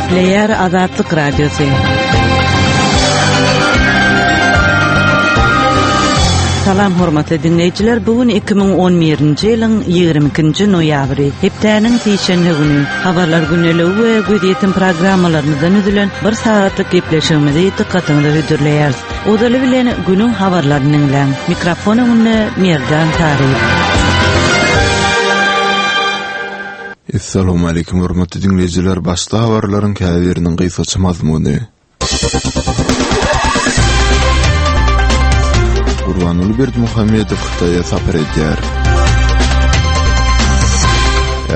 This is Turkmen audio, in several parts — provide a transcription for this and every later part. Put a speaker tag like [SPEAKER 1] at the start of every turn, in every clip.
[SPEAKER 1] Gepleýär Azatlyk Radiosy. Salam hormatly diňleýjiler, bu gün 2011-nji ýylyň 22-nji noýabry, hepdäniň sişenbe güni. Habarlar gündeligi we gözýetim programmalarymyzdan düzülen bir sagatlyk gepleşigimizi dykgatyňyza hödürleýäris. Ozaly bilen günüň habarlaryny diňläň. Mikrofon öňünde Merdan Taryýew.
[SPEAKER 2] Essalawmaleýkim hormatly diňleýjiler, başda habarlaryň käbiriniň gysgaça mazmuny. Gurbanguly Berdimuhamedow Hytaýa sapar edýär.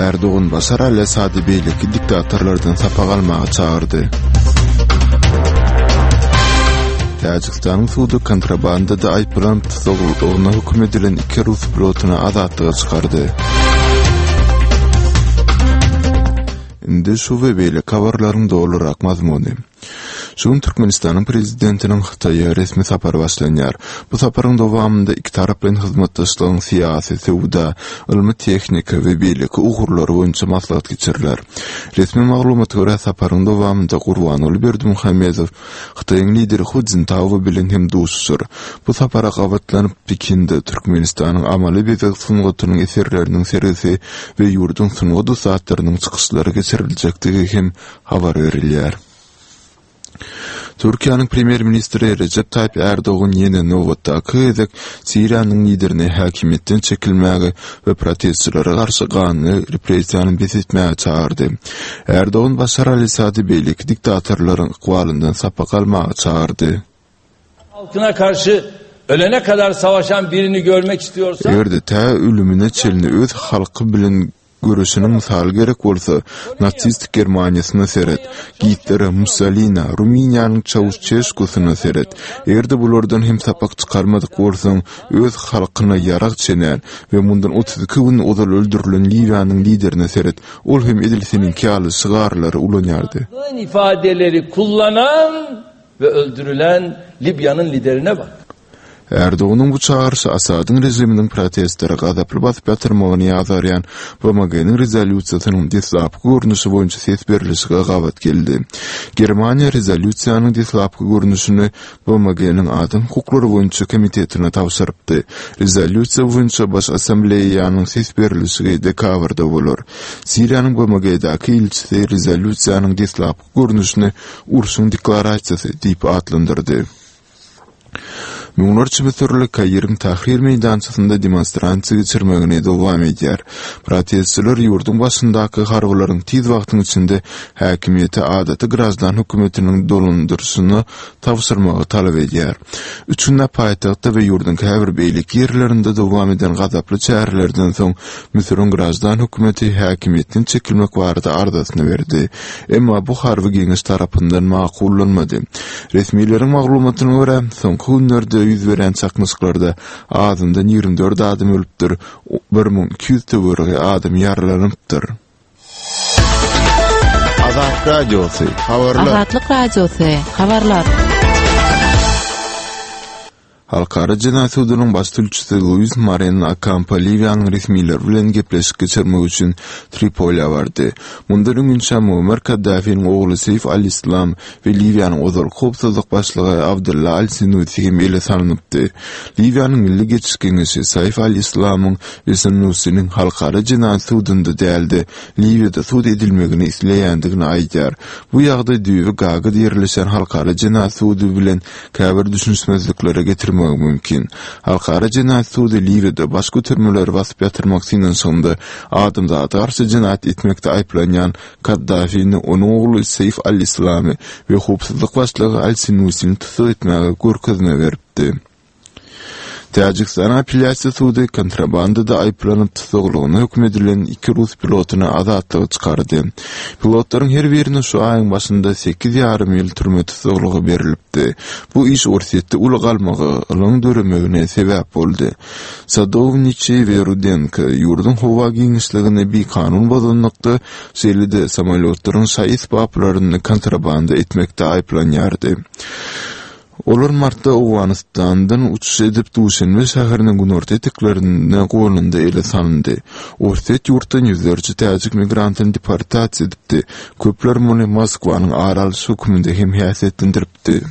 [SPEAKER 2] Erdogan Başar al-Assady beýleki diktatorlardan sapak almaga çagyrdy. Täjigistanyň sudy kontrabandada aýyplanyp tussaglygyna höküm edilen iki rus pilotyny azatlyga çykardy. Indi şu we beýleki habarlaryň dolurak mazmuny. Şu gün Türkmenistanyň Prezidentiniň Hytaýa resmi sapary başlanýar. Bu saparyň dowamynda ikitaraplaýyn hyzmatdaşlygyň syýasy, söwda, ylmy-tehniki we beýleki ugurlary boýunça maslahat geçiriler. Resmi maglumata görä, saparyň dowamynda Gurbanguly Berdimuhamedow Hytaýyň lideri Hu Szintao bilen hem duşuşar. Bu sapara gabatlanyp, Pekinde Türkmenistanyň amaly bezeg sungatynyň eserleriniň sergisi we ýurduň sungat ussatlarynyň çykyşlary geçiriljekdigi hem habar berilýär. Türkiýäniň premýer-ministri Rejep Taýyp Ärdogan ýene nobatdaky gezek Siriýanyň liderini häkimiýetden çekilmäge we protestçilere garşy ganly repressiýany bes etmäge çagyrdy. Ärdogan Başar al-Assady beýleki diktatorlaryň ykbalyndan sapak almaga çagyrdy.
[SPEAKER 3] Halkyna garşy ölene kadar savaşan birini görmek istiyorsan.
[SPEAKER 2] Eger-de tä ölümine çenli öz halky bilen göreşeniň mysaly gerek bolsa, nasistik Germaniýasyna seret, Gitlere, Mussolinä, Rumyniýanyň Çauşeşkusyna seret. Eger-de bulardan hem sapak çykarmadyk bolsaň, öz halkyna ýarag çenän we mundan 32 gün ozal öldürilen Liwiýanyň liderine seret, ol hem edil seniňki ýaly şygarlary ulanýardy.
[SPEAKER 3] ifadeleri kullanan ve öldürülen Libya'nın liderine bak.
[SPEAKER 2] Erdoganyň bu çagyryşy Asadyň režiminiň protestleri gazaply basyp ýatyrmagyny ýazgarýan BMG-niň rezolýusiýasynyň deslapky görnüşi boýunça ses berlişige gabat geldi. Germaniýa rezolýusiýanyň deslapky görnüşini BMG-niň Adam hukuklary boýunça komitetine tabşyrypdy. Rezolýusiýa boýunça Baş Assambleýanyň ses berlişigi dekabrda bolar. Siriýanyň BMG-däki ilçisi rezolýusiýanyň deslapky görnüşini urşuň deklarasiýasy diýip atlandyrdy. Müňlerçe müsürli Kairiň Tahrir meýdançasynda demonstrasiýa geçirmegini dowam edýär. Protestçiler ýurduň başyndaky harbylaryň tiz wagtyň içinde häkimiýeti adaty graždan hökümetiniň dolandyryşyna tabşyrmagy talap edýär. Üç günläp paýtagtda we ýurduň käbir beýleki ýerlerinde dowam eden gazaply çärelerden soň Müsüriň graždan hökümeti häkimiýetden çekilmek barada arzasyny berdi. Emma bu harby geňeş tarapyndan makullanmady. Resmileriň maglumatyna görä, soňky günlerde ýüz beren çaknyşyklarda azyndan 24 adam ölüpdir, 1200 töweregi adam ýaralanypdyr.
[SPEAKER 1] Azat Radiosy, habarlar. Azatlyk Radiosy, habarlar.
[SPEAKER 2] Halkara jenaýat sudunyň baş sülçüsi Luis Moreno Okampo Liwiýanyň resmileri bilen gepleşik geçirmek üçin Tripoliýa bardy. Mundan öňinçä Muammar Kaddafiniň ogly Seýf al-Islam we Liwiýanyň ozalky howpsuzlyk başlygy Abdylla al-Senusi hem ele salnypdy. Liwiýanyň Milli geçiş geňeşi Saif al-Islamyň we Senusiniň Halkara jenaýat sudunda däl-de, Liwiýada sud edilmegini isleýändigini aýdýar. Bu ýagdaý düýbi Gagada ýerleşýän Halkara jenaýat sudy bilen käbir düşünişmezliklere getirmegi mümkin. Halkara jenaýat sudy Liwiýada baş götermeleri basyp ýatyrmak synanyşygynda adamzada garşy jenaýat etmekde aýyplanýan Kaddafini, onuň ogly Seýf al-Islamy we howpsuzlyk başlygy al-Sinusini tussag etmäge görkezme beripdi. Täjigistanyň apellýasiýa sudy kontrabandada aýyplanyp tussaglygyna höküm edilen iki rus pilotyny azatlyga çykardy. Pilotlaryň her birine şu aýyň başynda sekiz ýarym ýyl türme tussaglygy berlipdi. Bu iş Orsýetde uly galmagalyň döremegine sebäp boldy. Sadowniçiý we Rudenko ýurduň howa giňişligini bikanun bozanlykda, şeýle-de samolýotlaryň şaý-esbaplaryny kontrabanda etmekde aýyplanýardy. Olar martda Owganystandan uçuş edip, Duşenbe şäheriniň günorta eteklerinde gonanda ele salyndy. Orsýet ýurtdan ýüzlerçe täjik migrantyny deportasiýa edipdi. Köpler muny Moskwanyň ar alyş hökmünde hem häsiýetlendiripdi.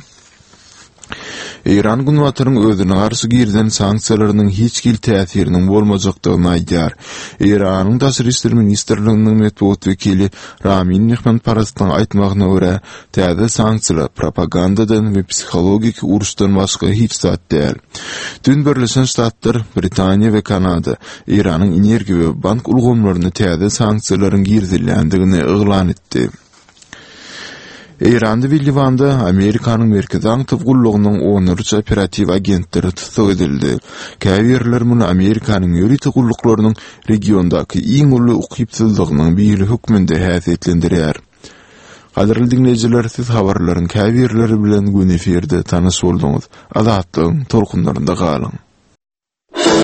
[SPEAKER 2] Eýran Günbataryň özüne garşy girizen sanksiýalarynyň hiç hili täsiriniň bolmajakdygyny aýdýar. Eýranyň Daşary işler ministrliginiň metbugat wekili Ramin Mehmanparastyň aýtmagyna görä, täze sanksiýalar propagandadan we psihologiki uruşdan başga hiç zat däl. Düýn Birleşen Ştatlar, Britaniýa we Kanada Eýranyň energiýa we bank ulgamlaryna täze sanksiýalaryň girizilýändigini yglan etdi. Eýranda we Liwanda Amerikanyň Merkezi aňtaw gullugynyň onlarça operatiw agentleri tussag edildi. Käbirleri muny Amerikanyň ýörite gulluklarynyň regiondaky iň uly ukypsyzlygynyň biri hökmünde häsiýetlendirýär. Gadyrly diňleýjiler, siz habarlaryň käbirleri bilen göni efirde tanyş bolduňyz. Azatlygyň tolkunlarynda galyň!